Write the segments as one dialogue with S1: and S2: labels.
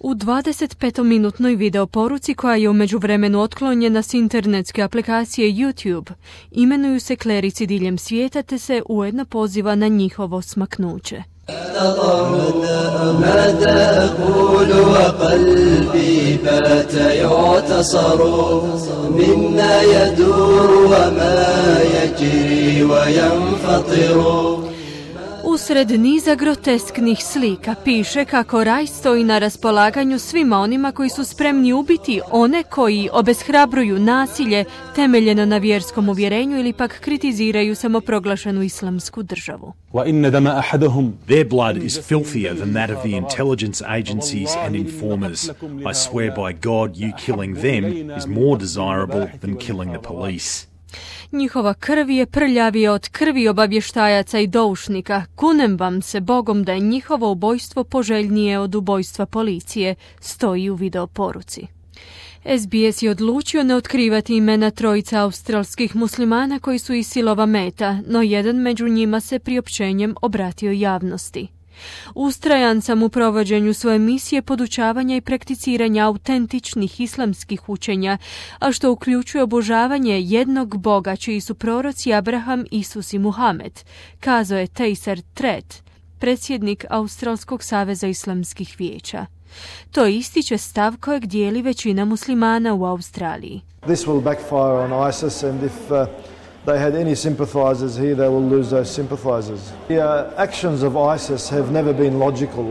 S1: U 25-minutnoj video poruci koja je u međuvremenu otklonjena s internetske aplikacije YouTube, imenuju se klerici diljem svijeta te se ujedno poziva na njihovo smaknuće. Usred niza grotesknih slika piše kako raj stoji na raspolaganju svima onima koji su spremni ubiti one koji obeshrabruju nasilje temeljeno na vjerskom uvjerenju ili pak kritiziraju samoproglašenu islamsku državu.
S2: Their blood is filthier than that of the intelligence agencies and informers. I swear by God, you killing them is more desirable than killing the police.
S1: Njihova krv je prljavija od krvi obavještajaca i doušnika. Kunem vam se Bogom da je njihovo ubojstvo poželjnije od ubojstva policije, stoji u video poruci. SBS je odlučio ne otkrivati imena trojica australskih muslimana koji su ISIL-ova meta, no jedan među njima se priopćenjem obratio javnosti. Ustrajan sam u provođenju svoje misije podučavanja i prakticiranja autentičnih islamskih učenja, a što uključuje obožavanje jednog Boga čiji su proroci Abraham, Isus i Muhamed, kazao je Taser Tret, predsjednik Australskog saveza islamskih vijeća. To ističe stav kojeg dijeli većina muslimana u Australiji.
S3: This will backfire on ISIS and if they had any sympathizers here, they will lose those sympathizers. The actions of ISIS have never been logical.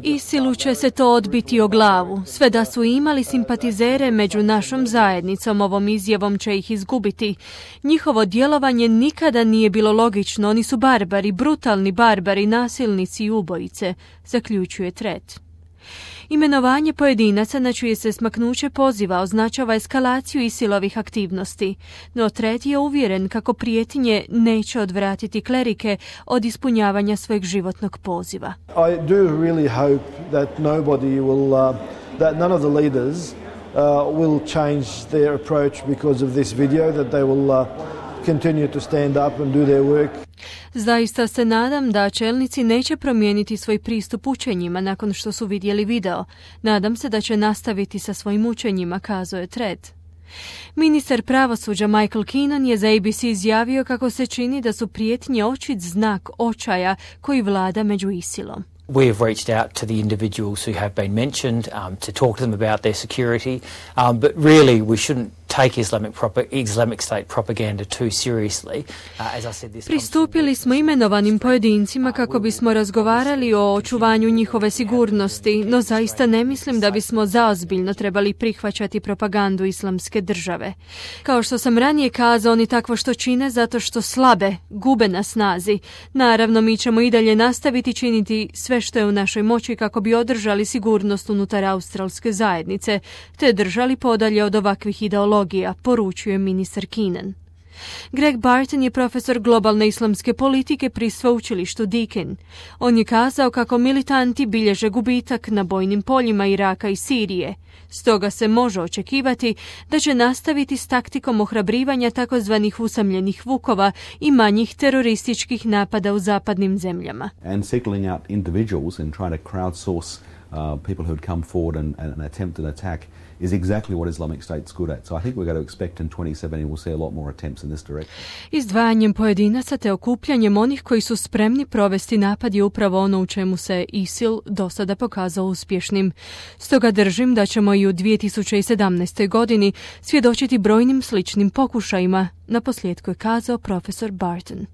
S1: ISIL-u će se to odbiti o glavu. Sve da su imali simpatizere među našom zajednicom, ovom izjavom će ih izgubiti. Njihovo djelovanje nikada nije bilo logično. Oni su barbari, brutalni barbari, nasilnici i ubojice, zaključuje Tret. Imenovanje pojedinaca na čije se smaknuće poziva označava eskalaciju ISIL-ovih aktivnosti, no Tret je uvjeren kako prijetnje neće odvratiti klerike od ispunjavanja svojeg životnog poziva.
S3: I do really hope that that none of the leaders will change their approach because of this video, that they will continue to stand up and do their work.
S1: Zaista se nadam da čelnici neće promijeniti svoj pristup učenjima nakon što su vidjeli video. Nadam se da će nastaviti sa svojim učenjima, kazao je Tret. Ministar pravosuđa Michael Keenan je za ABC izjavio kako se čini da su prijetnje očit znak očaja koji vlada među ISIL-om.
S4: We have reached out to the individuals who have been mentioned to talk to them about their security, but really we shouldn't take Islamic State propaganda too seriously. As I said,
S1: Pristupili smo imenovanim pojedincima kako bismo razgovarali o očuvanju njihove sigurnosti, no zaista ne mislim da bismo zaozbiljno trebali prihvaćati propagandu islamske države. Kao što sam ranije kazao, oni takvo što čine zato što slabe, gube na snazi. Naravno, mi ćemo i dalje nastaviti činiti sve što je u našoj moći kako bi održali sigurnost unutar australske zajednice, te držali podalje od ovakvih ideologija, poručuje ministar Keenan. Greg Barton je profesor globalne islamske politike pri sveučilištu Deakin. On je kazao kako militanti bilježe gubitak na bojnim poljima Iraka i Sirije. Stoga se može očekivati da će nastaviti s taktikom ohrabrivanja takozvanih usamljenih vukova i manjih terorističkih napada u zapadnim zemljama.
S5: And singling out individuals and trying to crowdsource people who had come forward and attempt an attack is exactly what Islamic State's good at. So I think we're going to expect in 2017 we'll see a lot more attempts in this direction.
S1: Izdvajanjem pojedinaca te okupljanjem onih koji su spremni provesti napad je upravo ono u čemu se ISIL do sada pokazao uspješnim. Stoga držim da ćemo i u 2017. godini svjedočiti brojnim sličnim pokušajima, naposljetku je kazao profesor Barton.